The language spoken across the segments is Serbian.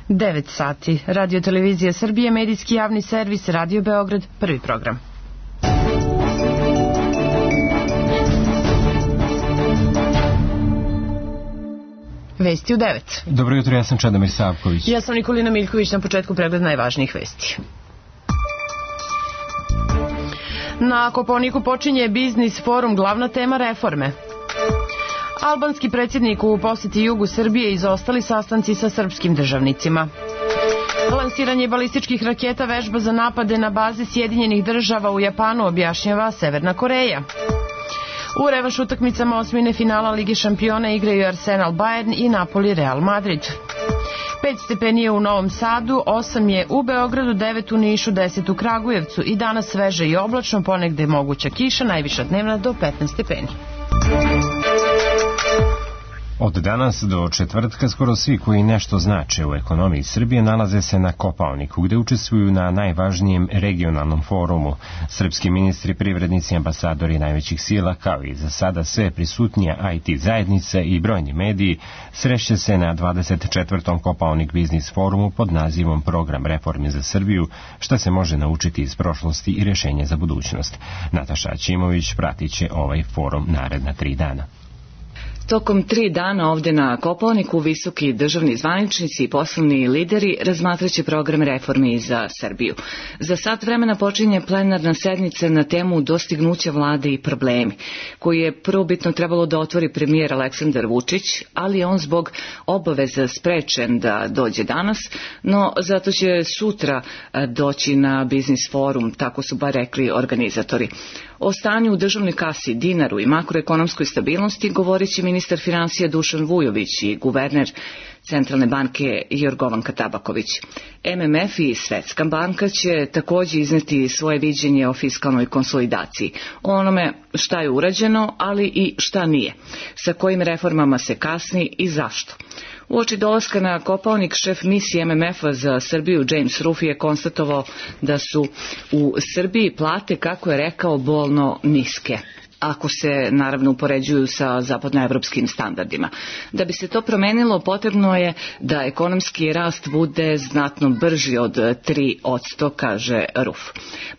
9 sati. Radio Televizija Srbije, medijski javni servis, Radio Beograd, prvi program. Vesti u 9. Dobro jutro, ja sam Čedomir Savković. Ja sam Nikolina Miljković, na početku pregled najvažnijih vesti. Na Kopaoniku počinje biznis forum, glavna tema reforme. Albanski predsjednik u posjeti jugu Srbije, izostali sastanci sa srpskim državnicima. Lansiranje balističkih raketa, vežba za napade na baze Sjedinjenih država u Japanu, objašnjava Severna Koreja. U revanš utakmicama osmine finala Lige šampiona igraju Arsenal Bayern i Napoli Real Madrid. 5 stepeni je u Novom Sadu, 8 je u Beogradu, 9 u Nišu, 10 u Kragujevcu i danas sveže i oblačno, ponegde moguća kiša, najviša dnevna do 15 stepeni. Od danas do četvrtka skoro svi koji nešto znače u ekonomiji Srbije nalaze se na Kopaoniku, gde učestvuju na najvažnijem regionalnom forumu. Srpski ministri, privrednici, ambasadori najvećih sila, kao i za sada sve prisutnija IT zajednica i brojni mediji, srešće se na 24. Kopaonik biznis forumu pod nazivom Program reformi za Srbiju, šta se može naučiti iz prošlosti i rješenje za budućnost. Nataša Ćimović pratit će ovaj forum naredna 3 dana. Tokom 3 dana ovde na Kopaoniku visoki državni zvaničnici i poslovni lideri razmatraće program reformi za Srbiju. Za sat vremena počinje plenarna sednica na temu dostignuća vlade i problemi, koji je prvobitno trebalo da otvori premijer Aleksandar Vučić, ali je on zbog obaveza sprečen da dođe danas, no zato će sutra doći na biznis forum, tako su bar rekli organizatori. O stanju u državnoj kasi, dinaru i makroekonomskoj stabilnosti govorit će ministar finansija Dušan Vujović i guverner Centralne banke Jorgovanka Tabaković. MMF i Svetska banka će također izneti svoje viđenje o fiskalnoj konsolidaciji, o onome šta je urađeno, ali i šta nije, sa kojim reformama se kasni i zašto. Uoči dolaska na Kopaonik, šef misije MMF-a za Srbiju James Ruff je konstatovao da su u Srbiji plate, kako je rekao, bolno niske, ako se naravno upoređuju sa zapadnoevropskim standardima. Da bi se to promenilo, potrebno je da ekonomski rast bude znatno brži od 3%, kaže Ruff.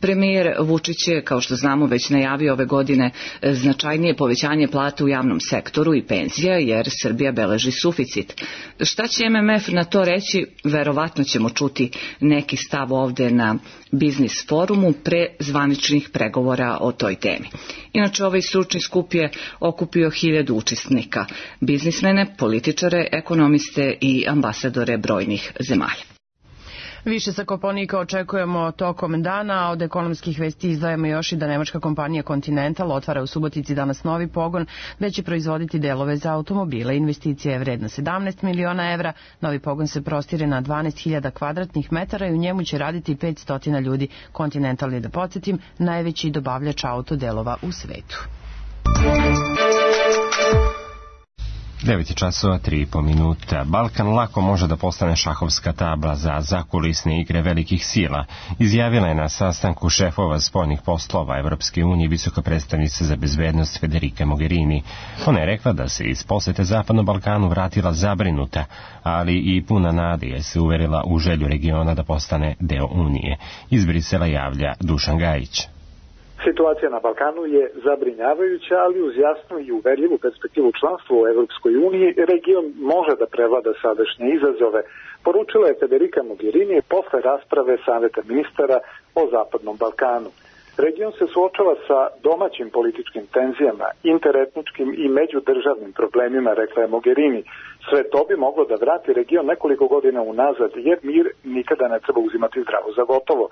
Premijer Vučić je, kao što znamo, već najavio ove godine značajnije povećanje plata u javnom sektoru i penzija, jer Srbija beleži suficit. Šta će MMF na to reći? Verovatno ćemo čuti neki stav ovde na biznis forumu pre zvaničnih pregovora o toj temi. Inače, ovaj stručni skup je okupio 1000 učesnika, biznismene, političare, ekonomiste i ambasadore brojnih zemalja. Više sa Kopaonika očekujemo tokom dana, a od ekonomskih vesti izdvajamo još i da nemačka kompanija Continental otvara u Subotici danas novi pogon, gde će proizvoditi delove za automobile. Investicija je vredna 17 miliona evra, novi pogon se prostire na 12.000 kvadratnih metara i u njemu će raditi 500 ljudi. Continental je, da podsjetim, najveći dobavljač autodelova u svetu. 9 časova, 3,5 minuta. Balkan lako može da postane šahovska tabla za zakulisne igre velikih sila, izjavila je na sastanku šefova spoljnih poslova Evropske unije visoka predstavnica za bezbednost Federica Mogherini. Ona je rekla da se iz posete Zapadnom Balkanu vratila zabrinuta, ali i puna nade, jer se uverila u želju regiona da postane deo Unije. Iz Brisela javlja Dušan Gajić. Situacija na Balkanu je zabrinjavajuća, ali uz jasnu i uverljivu perspektivu članstva u Evropskoj uniji, region može da prevlada sadašnje izazove, poručila je Federica Mogherini posle rasprave Saveta ministara o Zapadnom Balkanu. Region se suočava sa domaćim političkim tenzijama, interetničkim i međudržavnim problemima, rekla je Mogherini. Sve to bi moglo da vrati region nekoliko godina unazad, jer mir nikada ne treba uzimati zdravo za gotovo.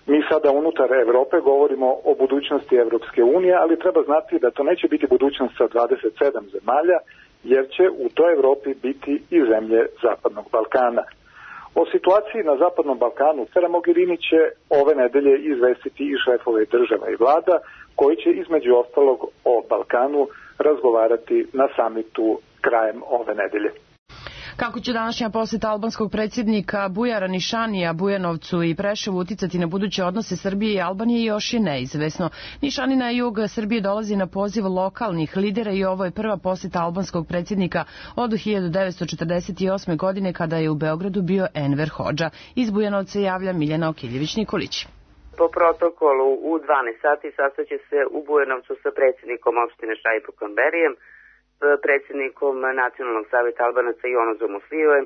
Mi sada unutar Evrope govorimo o budućnosti Evropske unije, ali treba znati da to neće biti budućnost sa 27 zemalja, jer će u toj Evropi biti i zemlje Zapadnog Balkana. O situaciji na Zapadnom Balkanu Federica Mogherini će ove nedelje izvestiti i šefove država i vlada, koji će između ostalog o Balkanu razgovarati na samitu krajem ove nedelje. Kako će današnja poseta albanskog predsjednika Bujara Nišanija Bujanovcu i Preševu uticati na buduće odnose Srbije i Albanije još je neizvesno. Nišani na jug Srbije dolazi na poziv lokalnih lidera i ovo je prva poseta albanskog predsjednika od 1948. godine kada je u Beogradu bio Enver Hodža. Iz Bujanovca javlja Miljana Okiljević-Nikolić. Po protokolu u 12 sati sastaće se u Bujanovcu sa predsjednikom opštine Šaipo Kamberijem, predsjednikom Nacionalnog savjeta Albanaca Jonozom Muslijojem,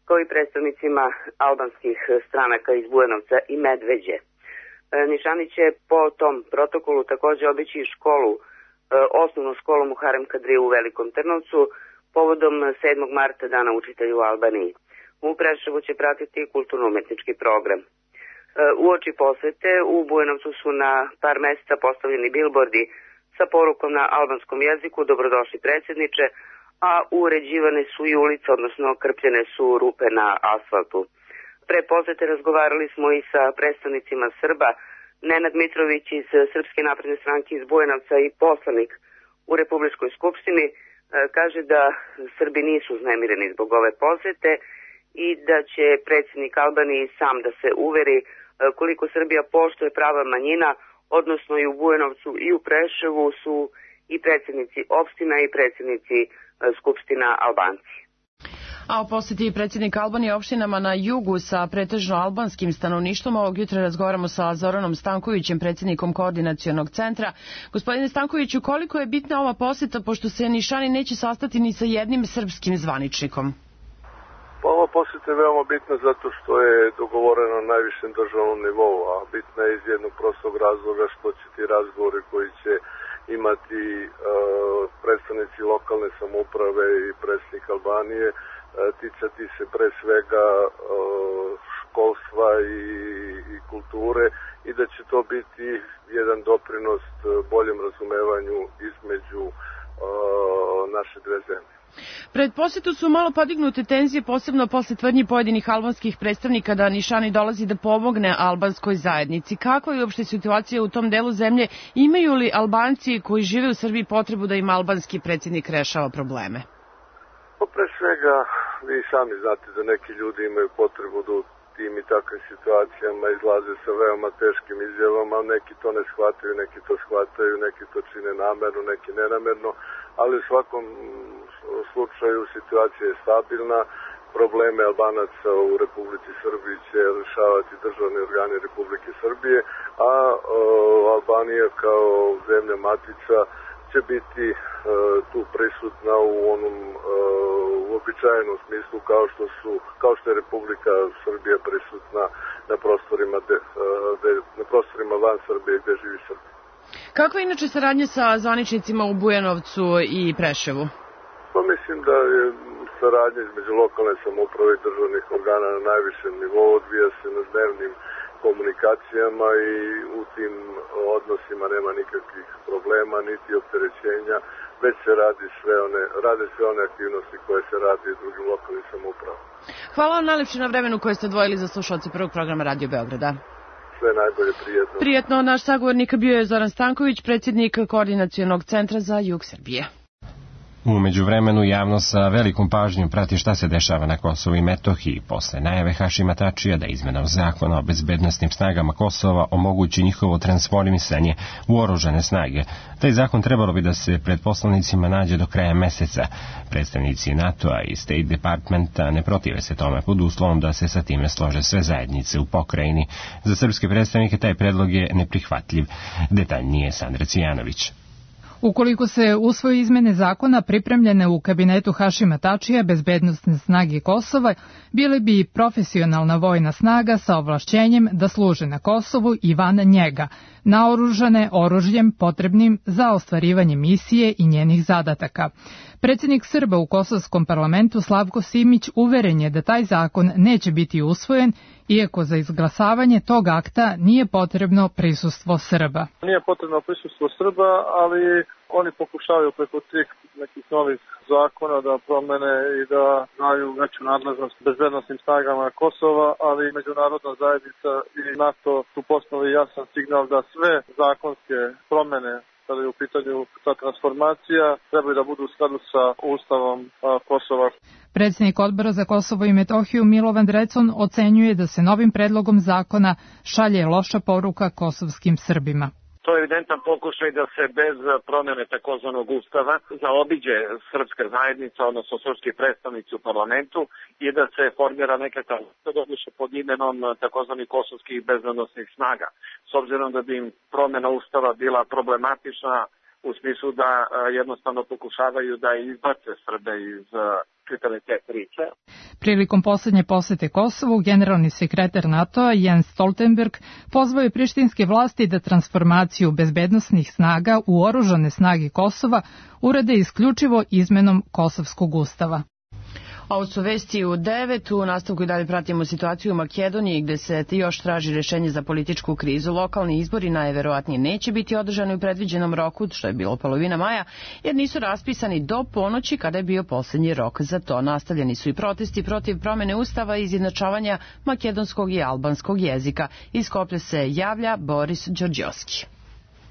kao i predstavnicima albanskih stranaka iz Bujanovca i Medveđe. Nišani će po tom protokolu također obići školu, osnovnu školu Muharem Kadriju u Velikom Trnovcu, povodom 7. marta Dana učitelja u Albaniji. U Preševu će pratiti kulturno-umetnički program. Uoči posete u Bujanovcu su na par mjesta postavljeni bilbordi sa porukom na albanskom jeziku "Dobrodošli predsjedniče", a uređivane su i ulice, odnosno krpljene su rupe na asfaltu. Pre posete razgovarali smo i sa predstavnicima Srba. Nenad Mitrović iz Srpske napredne stranke iz Bujanovca i poslanik u Republičkoj skupštini kaže da Srbi nisu uznemireni zbog ove posete i da će predsjednik Albanije sam da se uveri koliko Srbija poštuje prava manjina, odnosno i u Bujanovcu i u Preševu su i predsjednici opština i predsjednici skupština Albanci. A o posjeti predsjednika Albanije opštinama na jugu sa pretežno albanskim stanovništvom ovog jutra razgovaramo sa Zoranom Stankovićem, predsjednikom Koordinacionog centra. Gospodine Stankoviću, koliko je bitna ova posjeta, pošto se Nišani neće sastati ni sa jednim srpskim zvaničnikom? Ova posjeta je veoma bitna zato što je dogovorena na najvišem državnom nivou, a bitna je iz jednog prostog razloga što će ti razgovori koji će imati predstavnici lokalne samouprave i predsjednik Albanije ticati se pre svega školstva i kulture i da će to biti jedan doprinos boljem razumevanju između naše dve zemlje. Pred posjetu su malo podignute tenzije, posebno posle tvrdnji pojedinih albanskih predstavnika da Nišani dolazi da pomogne albanskoj zajednici. Kakva je uopšte situacija u tom delu zemlje? Imaju li Albanci koji žive u Srbiji potrebu da im albanski predsjednik rešava probleme? Pa pre svega, vi sami znate da neki ljudi imaju potrebu da u tim i takvim situacijama izlaze sa veoma teškim izjavama, neki to ne shvataju, neki to shvataju, neki to čine namerno, neki nenamerno, ali u svakom slučaju situacija je stabilna, probleme Albanaca u Republici Srbiji će rešavati državni organi Republike Srbije, a Albanija kao zemlja matica će biti tu prisutna u onom uobičajenom smislu kao što je Republika Srbija prisutna na prostorima van Srbije gde živi Srbija. Kakva je inače saradnja sa zvaničnicima u Bujanovcu i Preševu? Pa mislim da je saradnja između lokalne samouprave i državnih organa na najvišem nivou, odvija se na dnevnim komunikacijama i u tim odnosima nema nikakvih problema niti opterećenja, već se rade sve one aktivnosti koje se radi u drugim lokalnim samoupravama. Hvala vam najlepše na vremenu koje ste odvojili za slušalce prvog programa Radio Beograda. Sve najbolje, prijetno. Prijetno, naš sagovornik bio je Zoran Stanković, predsjednik Koordinacionog centra za jug Srbije. U međuvremenu javnost sa velikom pažnjom prati šta se dešava na Kosovu i Metohiji posle najave Hašima Tačija da izmenom zakona o bezbednosnim snagama Kosova omogući njihovo transformisanje u oružane snage. Taj zakon trebalo bi da se pred poslanicima nađe do kraja meseca. Predstavnici NATO-a i State Departmenta ne protive se tome pod uslovom da se sa time slože sve zajednice u pokrajini. Za srpske predstavnike taj predlog je neprihvatljiv. Detaljnije Sandra Cijanović. Ukoliko se usvoje izmene zakona pripremljene u kabinetu Hašima Tačija, bezbednosne snage Kosova bile bi profesionalna vojna snaga sa ovlašćenjem da služe na Kosovu i van njega, naoružane oružjem potrebnim za ostvarivanje misije i njenih zadataka. Predsjednik Srba u Kosovskom parlamentu Slavko Simić uveren je da taj zakon neće biti usvojen, iako za izglasavanje tog akta nije potrebno prisustvo Srba. Nije potrebno prisustvo Srba, ali oni pokušavaju preko tih nekih novih zakona da promene i da daju veću nadležnost bezbednosnim snagama Kosova, ali međunarodna zajednica i NATO su poslali jasan signal da sve zakonske promene kada je u pitanju ta transformacija, trebaju da budu u skladu sa Ustavom Kosova. Predsjednik Odbora za Kosovo i Metohiju Milovan Drecun ocenjuje da se novim predlogom zakona šalje loša poruka kosovskim Srbima. To je evidentan pokušaj da se bez promjene takozvanog ustava zaobiđe srpska zajednica, odnosno srpski predstavnici u parlamentu i da se formira nekakav doduše pod imenom takozvanih kosovskih bezbednosnih snaga. S obzirom da bi im promjena ustava bila problematična u smislu da jednostavno pokušavaju da izbace Srbe iz čitave te priče. Prilikom poslednje posete Kosovu, generalni sekretar NATO-a Jens Stoltenberg pozvao je prištinske vlasti da transformaciju bezbednosnih snaga u oružane snage Kosova urade isključivo izmenom Kosovskog ustava. Ovo su vesti u 9. U nastavku i dalje pratimo situaciju u Makedoniji gde se još traži rješenje za političku krizu. Lokalni izbori najverovatnije neće biti održani u predviđenom roku, što je bilo polovina maja, jer nisu raspisani do ponoći kada je bio posljednji rok za to. Nastavljeni su i protesti protiv promjene ustava i izjednačavanja makedonskog i albanskog jezika. Iz Skoplja se javlja Boris Đorđovski.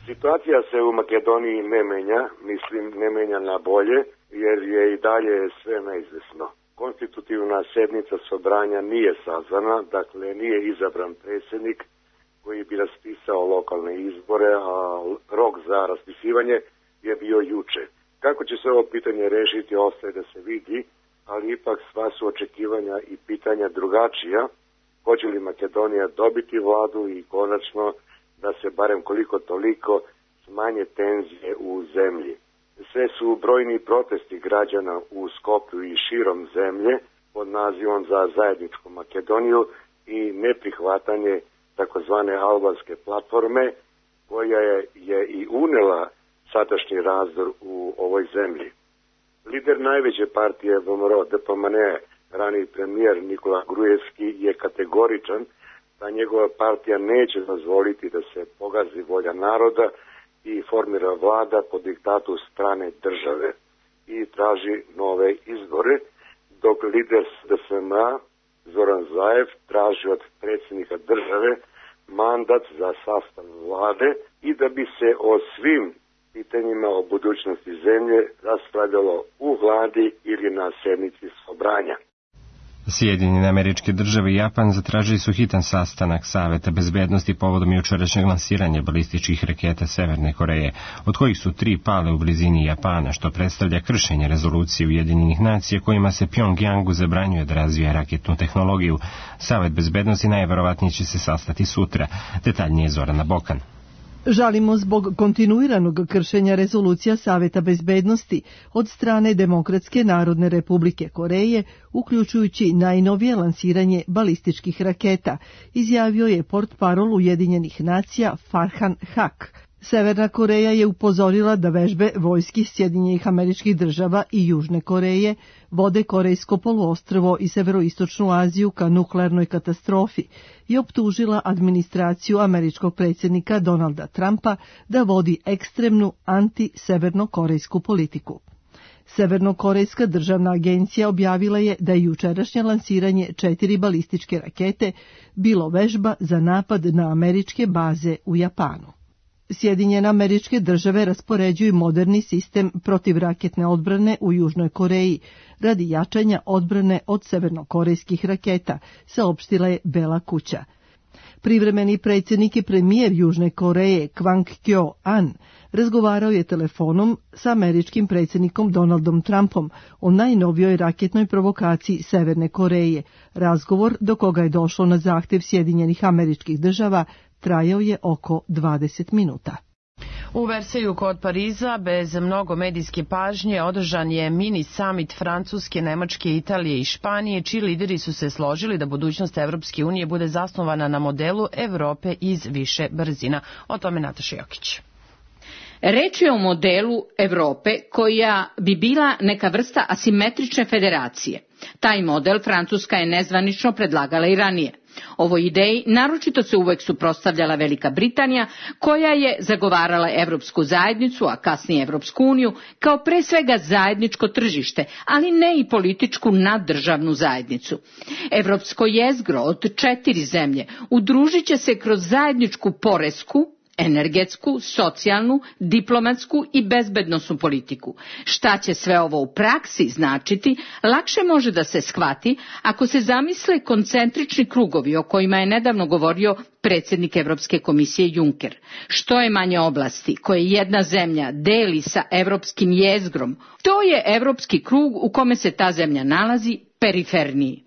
Situacija se u Makedoniji ne menja, ne menja na bolje, jer je i dalje sve neizvesno. Konstitutivna sednica Sobranja nije sazvana, dakle nije izabran predsjednik koji bi raspisao lokalne izbore, a rok za raspisivanje je bio juče. Kako će se ovo pitanje rešiti ostaje da se vidi, ali ipak sva su očekivanja i pitanja drugačija. Hoće li Makedonija dobiti vladu i konačno da se barem koliko toliko smanje tenzije u zemlji. Sve su brojni protesti građana u Skoplju i širom zemlje pod nazivom za zajedničku Makedoniju i neprihvatanje takozvane albanske platforme koja je i unela sadašnji razdor u ovoj zemlji. Lider najveće partije VMRO DPMN, raniji premijer Nikola Grujevski, je kategoričan da njegova partija neće dozvoliti da se pogazi volja naroda i formira vlada po diktatu strane države i traži nove izbore, dok lider DSMA Zoran Zaev traži od predsjednika države mandat za sastav vlade i da bi se o svim pitanjima o budućnosti zemlje raspravljalo u vladi ili na sednici Sobranja. Sjedinjene Američke Države i Japan zatražili su hitan sastanak Saveta bezbednosti povodom jučerašnjeg lansiranja balističkih raketa Severne Koreje, od kojih su 3 pale u blizini Japana, što predstavlja kršenje rezolucije Ujedinjenih nacija kojima se Pjongjangu zabranjuje da razvija raketnu tehnologiju. Savet bezbednosti najverovatnije će se sastati sutra. Detaljnije Zorana Bokan. Žalimo zbog kontinuiranog kršenja rezolucija Saveta bezbednosti od strane Demokratske narodne republike Koreje, uključujući najnovije lansiranje balističkih raketa, izjavio je portparol Ujedinjenih nacija Farhan Haq. Severna Koreja je upozorila da vežbe vojski Sjedinjenih Američkih Država i Južne Koreje vode Korejsko poluostrvo i Severoistočnu Aziju ka nuklearnoj katastrofi i optužila administraciju američkog predsjednika Donalda Trumpa da vodi ekstremnu anti-severnokorejsku politiku. Severnokorejska državna agencija objavila je da je jučerašnje lansiranje 4 balističke rakete bilo vežba za napad na američke baze u Japanu. Sjedinjene Američke Države raspoređuju moderni sistem protivraketne odbrane u Južnoj Koreji radi jačanja odbrane od severnokorejskih raketa, saopštila je Bela kuća. Privremeni predsjednik i premijer Južne Koreje Kwang Kyo-an razgovarao je telefonom sa američkim predsjednikom Donaldom Trumpom o najnovijoj raketnoj provokaciji Severne Koreje. Razgovor, do koga je došlo na zahtjev Sjedinjenih Američkih Država, trajao je oko 20 minuta. U Versaillesu kod Pariza, bez mnogo medijske pažnje, održan je mini summit Francuske, Nemačke, Italije i Španije, čiji lideri su se složili da budućnost Evropske unije bude zasnovana na modelu Evrope iz više brzina. O tome Nataša Jokić. Reč je o modelu Evrope koja bi bila neka vrsta asimetrične federacije. Taj model Francuska je nezvanično predlagala i ranije. Ovoj ideji naročito se uvek suprotstavljala Velika Britanija, koja je zagovarala Evropsku zajednicu, a kasnije Evropsku uniju, kao pre svega zajedničko tržište, ali ne i političku naddržavnu zajednicu. Evropsko jezgro od 4 zemlje udružit će se kroz zajedničku poresku, energetsku, socijalnu, diplomatsku i bezbednosnu politiku. Šta će sve ovo u praksi značiti, lakše može da se shvati ako se zamisle koncentrični krugovi o kojima je nedavno govorio predsjednik Evropske komisije Juncker. Što je manje oblasti koje jedna zemlja deli sa evropskim jezgrom, to je evropski krug u kome se ta zemlja nalazi periferniji.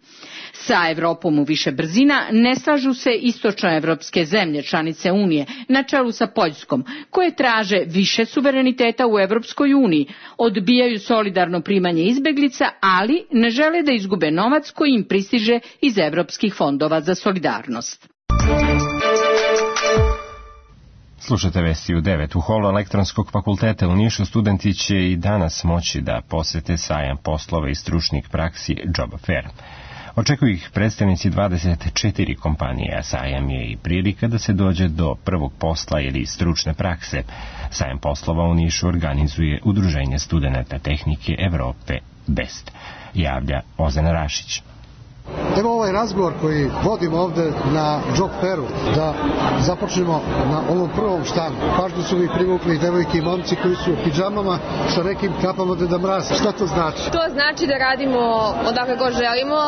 Sa Evropom u više brzina ne slažu se istočnoevropske zemlje članice Unije na čelu sa Poljskom, koje traže više suvereniteta u Evropskoj uniji, odbijaju solidarno primanje izbeglica, ali ne žele da izgube novac koji im pristiže iz evropskih fondova za solidarnost. Slušate vesti u 9. U holu elektronskog fakulteta u Nišu studenti će i danas moći da posete sajam poslova i stručnih praksi Job Fair. Očekuju ih predstavnici 24 kompanije, a sajam je i prilika da se dođe do prvog posla ili stručne prakse. Sajam poslova u Nišu organizuje Udruženje studenata tehnike Evrope BEST, javlja Ozan Rašić. Evo ovaj razgovor koji vodimo ovde na Job Fairu, da započnemo na ovom prvom štandu. Pažnju su mi privukli devojke i momci koji su u pidžamama sa nekim kapama Deda Mraza. Šta to znači? To znači da radimo odakle god želimo.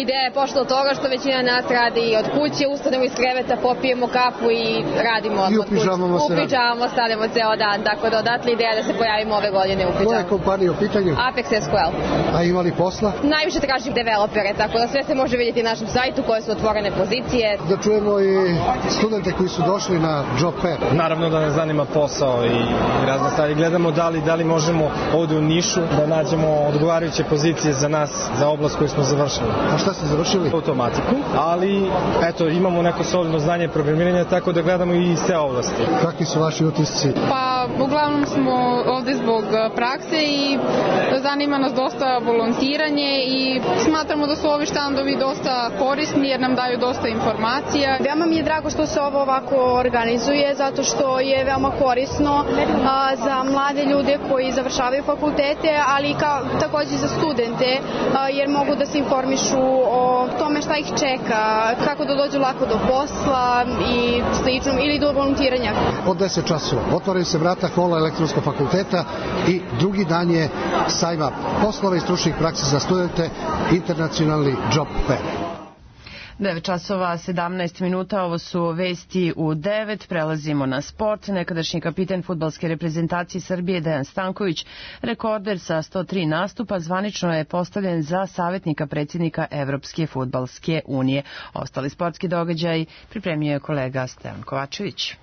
Ideja je pošla od toga što većina nas radi od kuće, ustanemo iz kreveta, popijemo kafu i radimo od kuće. I u pidžamama se radi. U pidžamama stavljamo ceo dan, tako da odatle ideja da se pojavimo ove godine u pidžamama. Koja je kompanija u pitanju? Apex SQL. A ima li posla? Najviše tražim developere, tako da sve se može vidjeti na našem sajtu koje su otvorene pozicije. Da čujemo i studente koji su došli na Job Fair. Naravno da nas zanima posao i razne stvari. Gledamo da li možemo ovdje u Nišu da nađemo odgovarajuće pozicije za nas, za oblast koju smo završili. A šta ste završili? Automatiku, ali eto, imamo neko solidno znanje programiranja, tako da gledamo i sve oblasti. Kakvi su vaši utisci? Pa, uglavnom smo ovdje zbog prakse i zanima nas dosta volontiranje i smatramo da su ovi štandovi dosta korisni jer nam daju dosta informacija. Veoma mi je drago što se ovo ovako organizuje zato što je veoma korisno za mlade ljude koji završavaju fakultete, ali također za studente jer mogu da se informišu o tome šta ih čeka, kako da dođu lako do posla i slično ili do volontiranja. Od 10 časova otvaraju se vrata hola elektronskog fakulteta i drugi dan je sajma poslova i stručnih praksi za studente, internacionalni Job Fair. 9 časova 17 minuta, ovo su vesti u 9, prelazimo na sport. Nekadašnji kapitan fudbalske reprezentacije Srbije Dejan Stanković, rekorder sa 103 nastupa, zvanično je postavljen za savjetnika predsjednika Evropske fudbalske unije. Ostali sportski događaj pripremio je kolega Stevan Kovačević.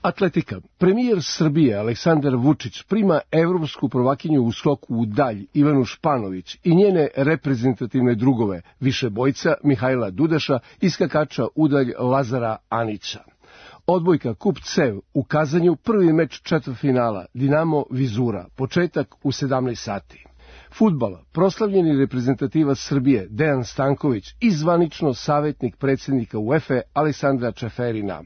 Atletika. Premijer Srbije Aleksandar Vučić prima evropsku prvakinju u skoku u dalj Ivanu Španović i njene reprezentativne drugove višebojca Mihajla Dudaša i skakača u dalj Lazara Anića. Odbojka Kup Cev u Kazanju, prvi meč četvrtfinala Dinamo Vizura, početak u 17 sati. Fudbal, proslavljeni reprezentativac Srbije Dejan Stanković i zvanično savjetnik predsjednika UEFA Aleksandra Čeferina.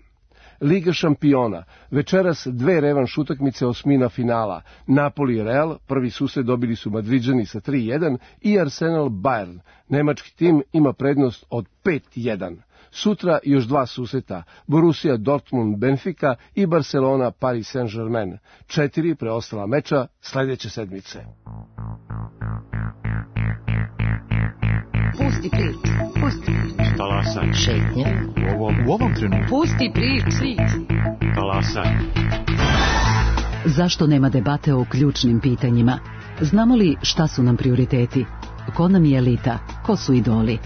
Liga šampiona, večeras 2 revanš utakmice osmina finala. Napoli i Real, prvi susret dobili su Madriđani sa 3-1 i Arsenal Bayern. Nemački tim ima prednost od 5-1. Sutra još 2 susreta, Borussia Dortmund Benfica i Barcelona Paris Saint-Germain. 4 preostala meča sljedeće sedmice. Pusti priču, pusti priču. Talasaj. Šetnje. U ovom trenutku. Pusti priču. Talasaj. Zašto nema debate o ključnim pitanjima? Znamo li šta su nam prioriteti? Ko nam je elita? Ko su idoli?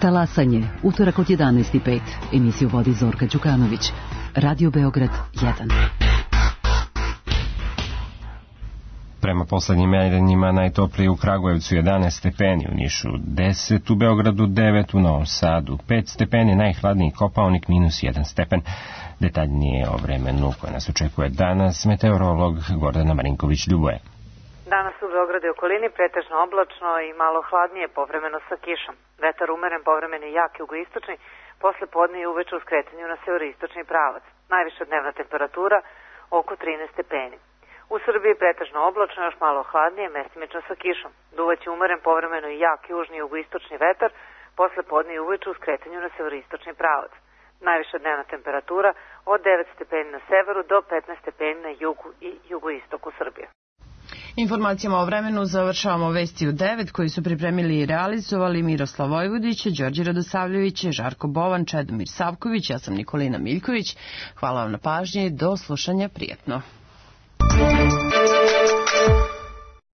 Talasanje, utorak od 11:05. Emisiju vodi Zorka Đukanović. Radio Beograd 1. Prema poslednjim merenjima najtoplije u Kragujevcu 11 stepeni, u Nišu 10, u Beogradu 9, u Novom Sadu 5 stepeni, najhladniji Kopaonik -1 stepen. Detaljnije o vremenu koje nas očekuje danas meteorolog Gordana Marinković-Ljuboje. Danas u Beogradu i okolini pretežno oblačno i malo hladnije, povremeno sa kišom. Vetar umeren, povremeno jak jugoistočni, posle podne i uveče u skretanju na severoistočni pravac. Najviša dnevna temperatura oko 13 stepeni. U Srbiji pretežno oblačno, još malo hladnije, mestimično sa kišom. Duvaće umeren, povremeno i jak južni jugoistočni vetar, posle podne i uveče u skretanju na severoistočni pravac. Najviša dnevna temperatura od 9 stepeni na severu do 15 stepeni na jugu i jugoistoku Srbije. Informacijama o vremenu završavamo vesti u 9 koji su pripremili i realizovali Miroslav Vojvodić, Đorđe Radosavljević, Žarko Bovan, Čedomir Savković, ja sam Nikolina Miljković. Hvala vam na pažnji, do slušanja, prijetno.